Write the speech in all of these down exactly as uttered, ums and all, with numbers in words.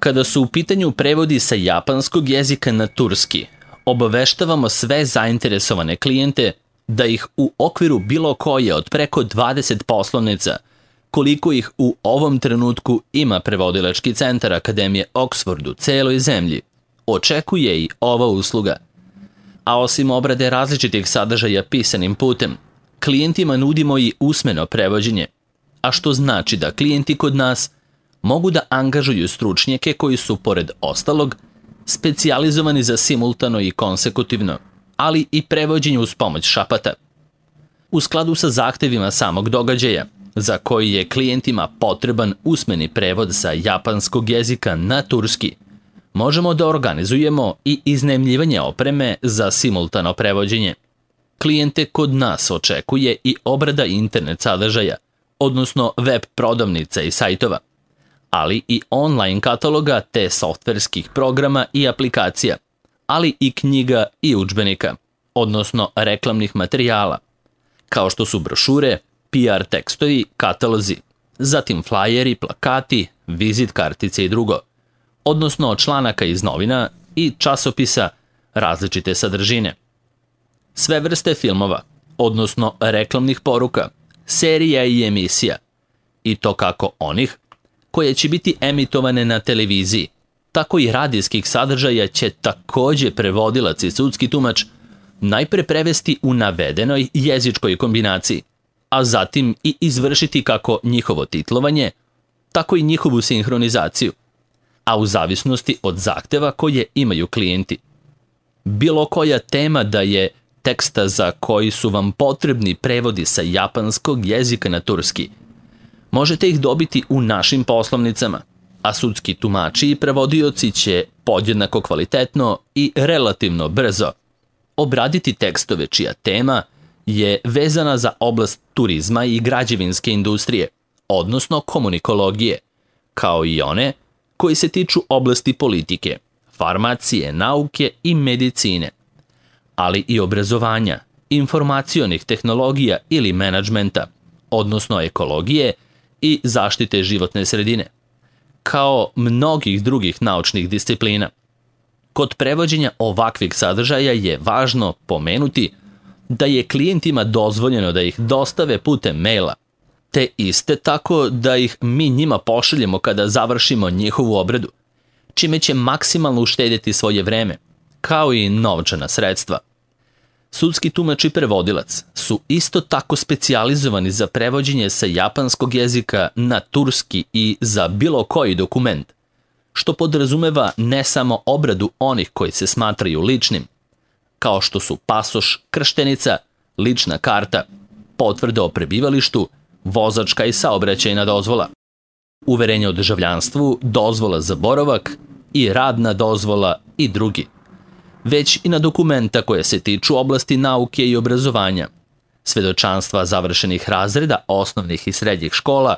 Kada su u pitanju prevodi sa japanskog jezika na turski, obaveštavamo sve zainteresovane klijente da ih u okviru bilo koje od preko dvadeset poslovnica, koliko ih u ovom trenutku ima prevodilački centar Akademije Oxford u celoj zemlji, očekuje i ova usluga. A osim obrade različitih sadržaja pisanim putem, klijentima nudimo i usmeno prevođenje, a što znači da klijenti kod nas mogu da angažuju stručnjake koji su, pored ostalog, specijalizovani za simultano i konsekutivno, ali i prevođenje uz pomoć šapata. U skladu sa zahtevima samog događaja, za koji je klijentima potreban usmeni prevod sa japanskog jezika na turski, možemo da organizujemo i iznajmljivanje opreme za simultano prevođenje. Klijente kod nas očekuje i obrada internet sadržaja, odnosno web prodavnica i sajtova, ali i online kataloga te softverskih programa i aplikacija, ali i knjiga i udžbenika, odnosno reklamnih materijala, kao što su brošure, P R tekstovi, katalozi, zatim flajeri, plakati, vizit kartice i drugo, odnosno članaka iz novina i časopisa različite sadržine. Sve vrste filmova, odnosno reklamnih poruka, serija i emisija, i to kako onih koje će biti emitovane na televiziji, tako i radijskih sadržaja će takođe prevodilac i sudski tumač najpre prevesti u navedenoj jezičkoj kombinaciji, a zatim i izvršiti kako njihovo titlovanje, tako i njihovu sinhronizaciju, a u zavisnosti od zahteva koje imaju klijenti. Bilo koja tema da je teksta za koji su vam potrebni prevodi sa japanskog jezika na turski, možete ih dobiti u našim poslovnicama, a sudski tumači i prevodioci će podjednako kvalitetno i relativno brzo obraditi tekstove čija tema je vezana za oblast turizma i građevinske industrije, odnosno komunikologije, kao i one koji se tiču oblasti politike, farmacije, nauke i medicine, ali i obrazovanja, informacionih tehnologija ili menadžmenta, odnosno ekologije i zaštite životne sredine, kao mnogih drugih naučnih disciplina. Kod prevođenja ovakvih sadržaja je važno pomenuti da je klijentima dozvoljeno da ih dostave putem maila, te iste tako da ih mi njima pošaljemo kada završimo njihovu obradu, čime će maksimalno uštedjeti svoje vreme, kao i novčana sredstva. Sudski tumač i prevodilac su isto tako specijalizovani za prevođenje sa japanskog jezika na turski i za bilo koji dokument, što podrazumeva ne samo obradu onih koji se smatraju ličnim, kao što su pasoš, krštenica, lična karta, potvrda o prebivalištu, vozačka i saobraćajna dozvola, uverenje o državljanstvu, dozvola za boravak i radna dozvola i drugi, već i na dokumenta koje se tiču oblasti nauke i obrazovanja, svedočanstva završenih razreda osnovnih i srednjih škola,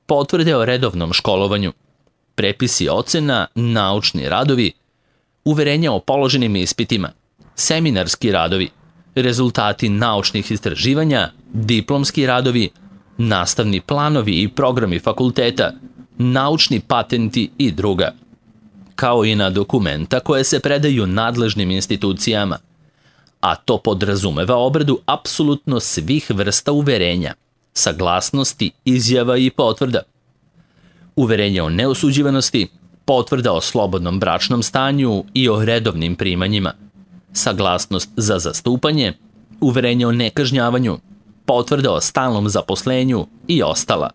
potvrde o redovnom školovanju, prepisi ocena, naučni radovi, uverenja o položenim ispitima, seminarski radovi, rezultati naučnih istraživanja, diplomski radovi, nastavni planovi i programi fakulteta, naučni patenti i druga, kao i na dokumenta koje se predaju nadležnim institucijama, a to podrazumeva obradu apsolutno svih vrsta uverenja, saglasnosti, izjava i potvrda, uverenje o neosuđivanosti, potvrda o slobodnom bračnom stanju i o redovnim primanjima, saglasnost za zastupanje, uverenje o nekažnjavanju, potvrda o stalnom zaposlenju i ostala.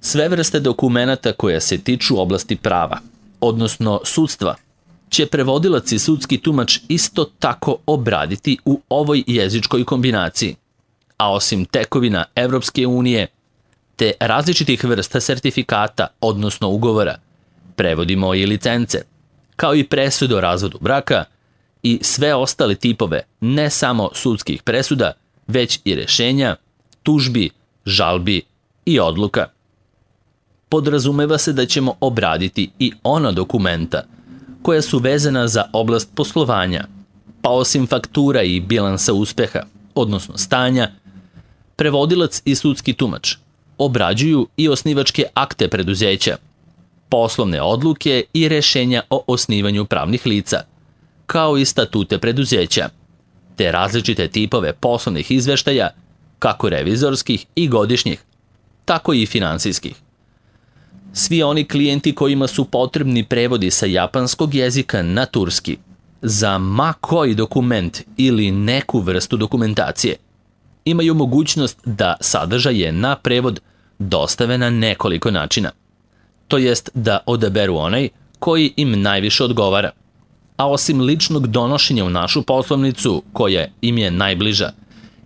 Sve vrste dokumenata koje se tiču oblasti prava, odnosno sudstva, će prevodilac i sudski tumač isto tako obraditi u ovoj jezičkoj kombinaciji, a osim tekovina Evropske unije, te različitih vrsta sertifikata, odnosno ugovora, prevodimo i licence, kao i presude o razvodu braka i sve ostale tipove ne samo sudskih presuda, već i rešenja, tužbi, žalbi i odluka. Podrazumeva se da ćemo obraditi i ona dokumenta koja su vezana za oblast poslovanja, pa osim faktura i bilansa uspeha, odnosno stanja, prevodilac i sudski tumač obrađuju i osnivačke akte preduzeća, poslovne odluke i rešenja o osnivanju pravnih lica, kao i statute preduzeća, te različite tipove poslovnih izveštaja, kako revizorskih i godišnjih, tako i finansijskih. Svi oni klijenti kojima su potrebni prevodi sa japanskog jezika na turski, za ma koji dokument ili neku vrstu dokumentacije, imaju mogućnost da sadržaje na prevod dostave na nekoliko načina. To jest da odaberu onaj koji im najviše odgovara. A osim ličnog donošenja u našu poslovnicu, koja im je najbliža,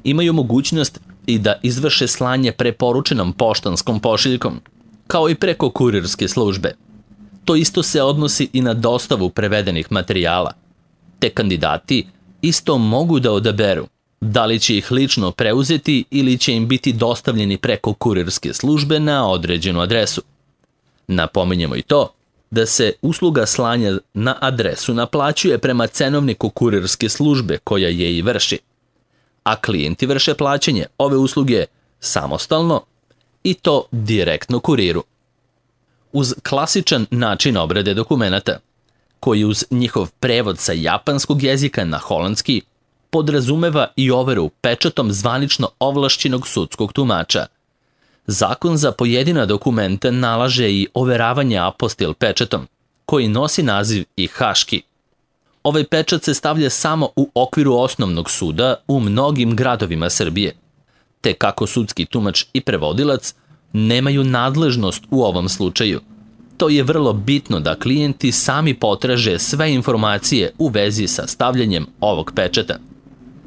imaju mogućnost i da izvrše slanje preporučenom poštanskom pošiljkom, kao i preko kurirske službe. To isto se odnosi i na dostavu prevedenih materijala. Te kandidati isto mogu da odaberu da li će ih lično preuzeti ili će im biti dostavljeni preko kurirske službe na određenu adresu. Napominjemo i to da se usluga slanja na adresu naplaćuje prema cenovniku kurirske službe koja je i vrši, a klijenti vrše plaćanje ove usluge samostalno i to direktno kuriru. Uz klasičan način obrade dokumenata, koji uz njihov prevod sa japanskog jezika na holandski podrazumeva i overu pečatom zvanično ovlašćenog sudskog tumača, zakon za pojedina dokumenta nalaže i overavanje apostil pečatom, koji nosi naziv i haški. Ovaj pečat se stavlja samo u okviru osnovnog suda u mnogim gradovima Srbije, te kako sudski tumač i prevodilac nemaju nadležnost u ovom slučaju. To je vrlo bitno da klijenti sami potraže sve informacije u vezi sa stavljanjem ovog pečata.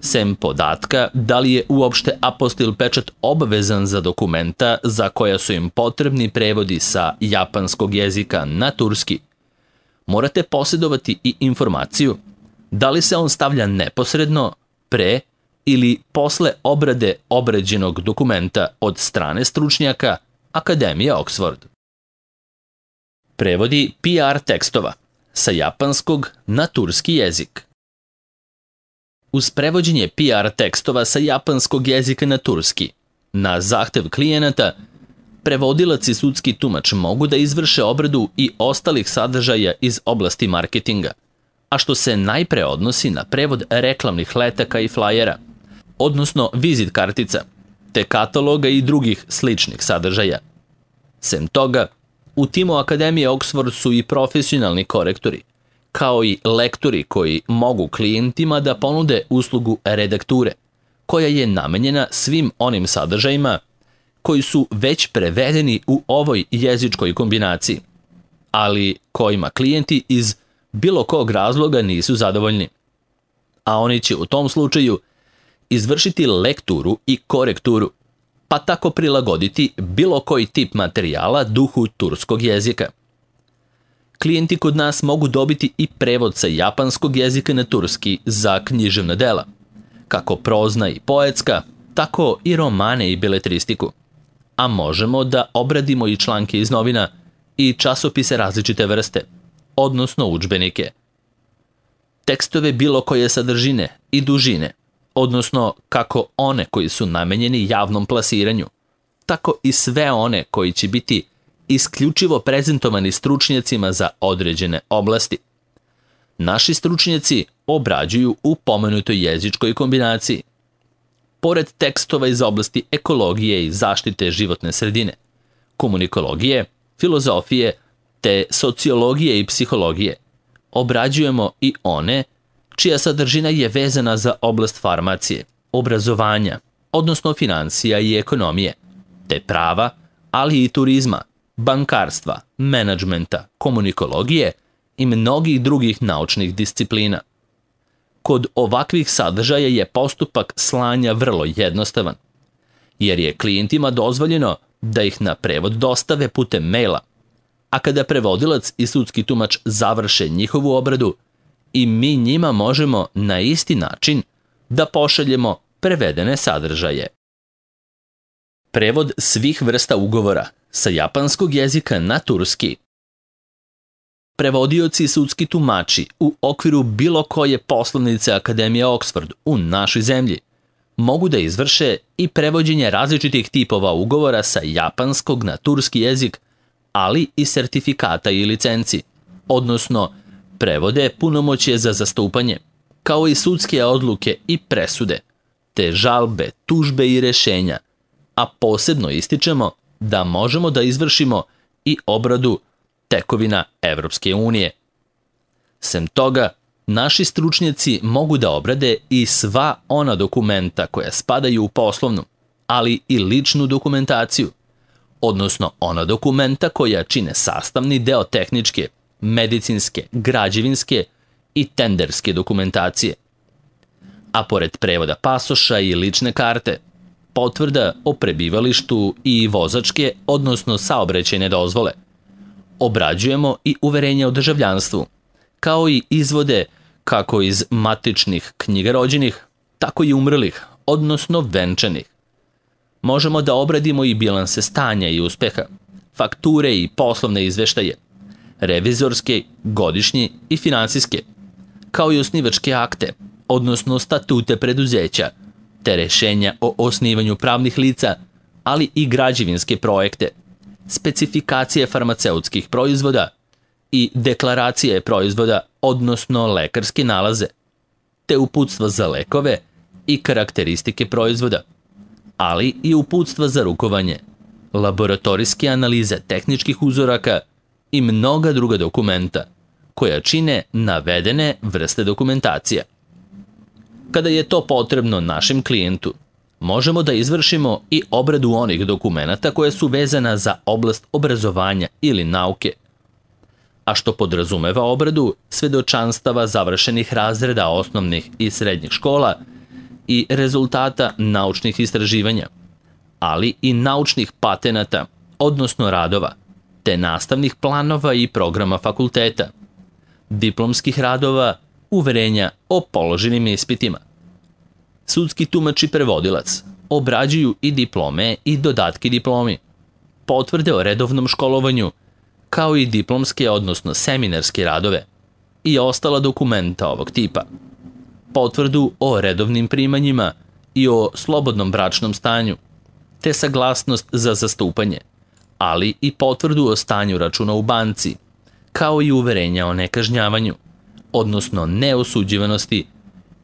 Sem podatka da li je uopšte apostil pečat obavezan za dokumenta za koja su im potrebni prevodi sa japanskog jezika na turski, morate posjedovati i informaciju da li se on stavlja neposredno, pre ili posle obrade obrađenog dokumenta od strane stručnjaka Akademije Oxford. Prevodi P R tekstova sa japanskog na turski jezik. Uz prevođenje P R tekstova sa japanskog jezika na turski, na zahtev klijenata, prevodilac i sudski tumač mogu da izvrše obradu i ostalih sadržaja iz oblasti marketinga, a što se najpre odnosi na prevod reklamnih letaka i flajera, odnosno vizit kartica, te kataloga i drugih sličnih sadržaja. Sem toga, u timu Akademije Oxford su i profesionalni korektori, kao i lektori koji mogu klijentima da ponude uslugu redakture, koja je namenjena svim onim sadržajima koji su već prevedeni u ovoj jezičkoj kombinaciji, ali kojima klijenti iz bilo kog razloga nisu zadovoljni. A oni će u tom slučaju izvršiti lekturu i korekturu, pa tako prilagoditi bilo koji tip materijala duhu turskog jezika. Klijenti kod nas mogu dobiti i prevod sa japanskog jezika na turski za književna dela, kako prozna i poetska, tako i romane i beletristiku. A možemo da obradimo i članke iz novina i časopise različite vrste, odnosno udžbenike. Tekstove bilo koje sadržine i dužine, odnosno kako one koji su namenjeni javnom plasiranju, tako i sve one koji će biti isključivo prezentovani stručnjacima za određene oblasti. Naši stručnjaci obrađuju u pomenutoj jezičkoj kombinaciji. Pored tekstova iz oblasti ekologije i zaštite životne sredine, komunikologije, filozofije te sociologije i psihologije, obrađujemo i one čija sadržina je vezana za oblast farmacije, obrazovanja, odnosno financija i ekonomije, te prava, ali i turizma, bankarstva, menadžmenta, komunikologije i mnogih drugih naučnih disciplina. Kod ovakvih sadržaja je postupak slanja vrlo jednostavan, jer je klijentima dozvoljeno da ih na prevod dostave putem maila, a kada prevodilac i sudski tumač završe njihovu obradu, i mi njima možemo na isti način da pošaljemo prevedene sadržaje. Prevod svih vrsta ugovora sa japanskog jezika na turski. Prevodioci i sudski tumači u okviru bilo koje poslovnice Akademije Oxford u našoj zemlji mogu da izvrše i prevođenje različitih tipova ugovora sa japanskog na turski jezik ali i sertifikata i licenci, odnosno prevode punomoćje za zastupanje, kao i sudske odluke i presude, te žalbe, tužbe i rešenja, a posebno ističemo da možemo da izvršimo i obradu tekovina Evropske unije. Sem toga, naši stručnjaci mogu da obrade i sva ona dokumenta koja spadaju u poslovnu, ali i ličnu dokumentaciju, odnosno ona dokumenta koja čine sastavni deo tehničke, medicinske, građevinske i tenderske dokumentacije. A pored prevoda pasoša i lične karte, potvrda o prebivalištu i vozačke, odnosno saobraćajne dozvole, obrađujemo i uverenja o državljanstvu, kao i izvode kako iz matičnih knjiga rođenih, tako i umrlih, odnosno venčanih. Možemo da obradimo i bilanse stanja i uspeha, fakture i poslovne izveštaje, revizorske, godišnje i finansijske, kao i osnivačke akte, odnosno statute preduzeća, te rešenja o osnivanju pravnih lica, ali i građevinske projekte, specifikacije farmaceutskih proizvoda i deklaracije proizvoda, odnosno lekarske nalaze, te uputstva za lekove i karakteristike proizvoda, ali i uputstva za rukovanje, laboratorijske analize tehničkih uzoraka i mnoga druga dokumenta, koja čine navedene vrste dokumentacija. Kada je to potrebno našem klijentu, možemo da izvršimo i obradu onih dokumenata koje su vezana za oblast obrazovanja ili nauke, a što podrazumeva obradu svedočanstava završenih razreda osnovnih i srednjih škola i rezultata naučnih istraživanja, ali i naučnih patenata, odnosno radova, te nastavnih planova i programa fakulteta, diplomskih radova, uverenja o položenim ispitima. Sudski tumač i prevodilac obrađuju i diplome i dodatke diplomi, potvrde o redovnom školovanju, kao i diplomske, odnosno seminarske radove i ostala dokumenta ovog tipa, potvrdu o redovnim primanjima i o slobodnom bračnom stanju, te saglasnost za zastupanje, ali i potvrdu o stanju računa u banci, kao i uverenja o nekažnjavanju, odnosno neosuđivanosti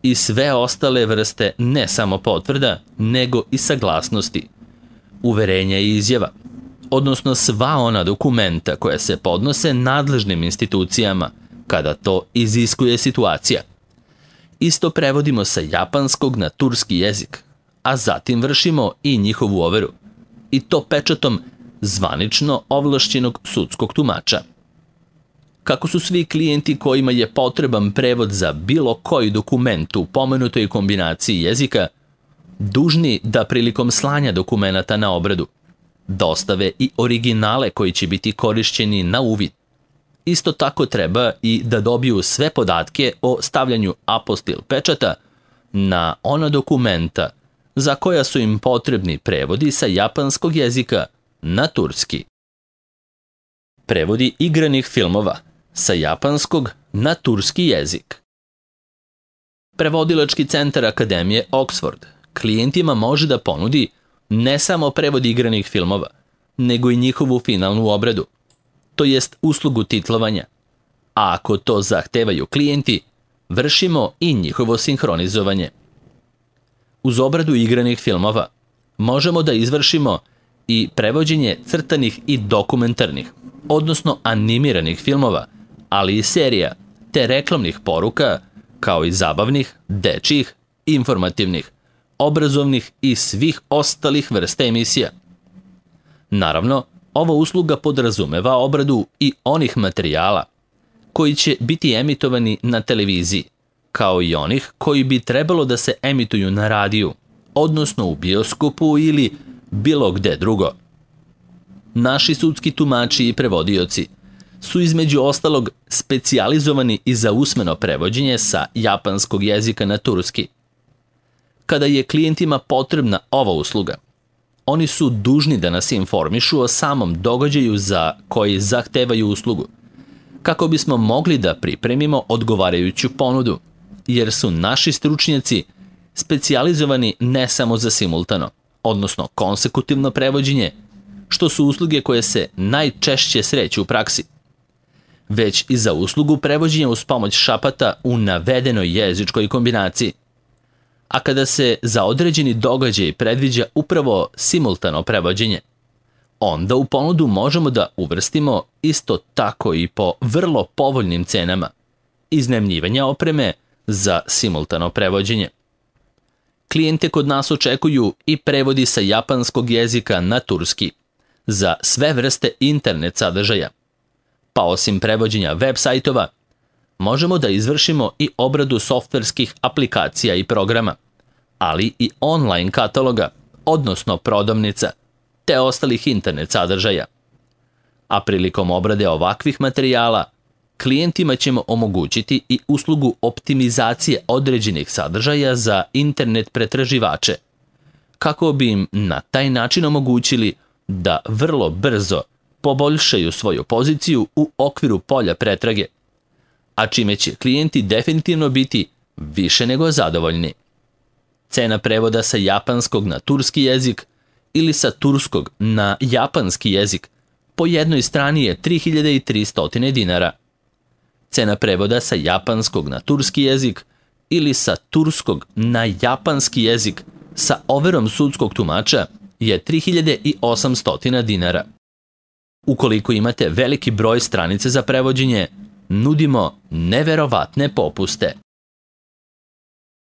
i sve ostale vrste ne samo potvrda, nego i saglasnosti, uverenja i izjava, odnosno sva ona dokumenta koja se podnose nadležnim institucijama kada to iziskuje situacija. Isto prevodimo sa japanskog na turski jezik, a zatim vršimo i njihovu overu, i to pečatom zvanično ovlašćenog sudskog tumača. Kako su svi klijenti kojima je potreban prevod za bilo koji dokument u pomenutoj kombinaciji jezika dužni da prilikom slanja dokumenata na obradu dostave i originale koji će biti korišćeni na uvid. Isto tako treba i da dobiju sve podatke o stavljanju apostil pečata na ona dokumenta za koja su im potrebni prevodi sa japanskog jezika na turski. Prevodi igranih filmova sa japanskog na turski jezik. Prevodilački centar Akademije Oxford klijentima može da ponudi ne samo prevod igranih filmova, nego i njihovu finalnu obradu, to jest uslugu titlovanja, a ako to zahtevaju klijenti, vršimo i njihovo sinhronizovanje. Uz obradu igranih filmova možemo da izvršimo i prevođenje crtanih i dokumentarnih, odnosno animiranih filmova, ali i serija, te reklamnih poruka, kao i zabavnih, dečjih, informativnih, obrazovnih i svih ostalih vrsta emisija. Naravno, ova usluga podrazumeva obradu i onih materijala koji će biti emitovani na televiziji, kao i onih koji bi trebalo da se emituju na radiju, odnosno u bioskopu ili bilo gde drugo. Naši sudski tumači i prevodioci su između ostalog specijalizovani i za usmeno prevođenje sa japanskog jezika na turski. Kada je klijentima potrebna ova usluga, oni su dužni da nas informišu o samom događaju za koji zahtevaju uslugu, kako bismo mogli da pripremimo odgovarajuću ponudu, jer su naši stručnjaci specijalizovani ne samo za simultano, odnosno konsekutivno prevođenje, što su usluge koje se najčešće sreću u praksi, već i za uslugu prevođenja uz pomoć šapata u navedenoj jezičkoj kombinaciji. A kada se za određeni događaj predviđa upravo simultano prevođenje, onda u ponudu možemo da uvrstimo isto tako i po vrlo povoljnim cenama iznajmljivanja opreme za simultano prevođenje. Klijente kod nas očekuju i prevodi sa japanskog jezika na turski za sve vrste internet sadržaja, pa osim prevođenja web sajtova, možemo da izvršimo i obradu softverskih aplikacija i programa, ali i online kataloga, odnosno prodavnica, te ostalih internet sadržaja. A prilikom obrade ovakvih materijala, klijentima ćemo omogućiti i uslugu optimizacije određenih sadržaja za internet pretraživače, kako bi im na taj način omogućili da vrlo brzo poboljšaju svoju poziciju u okviru polja pretrage, a čime će klijenti definitivno biti više nego zadovoljni. Cena prevoda sa japanskog na turski jezik ili sa turskog na japanski jezik po jednoj strani je tri hiljade tristo dinara. Cena prevoda sa japanskog na turski jezik ili sa turskog na japanski jezik sa overom sudskog tumača je tri hiljade osamsto dinara. Ukoliko imate veliki broj stranice za prevođenje, nudimo neverovatne popuste.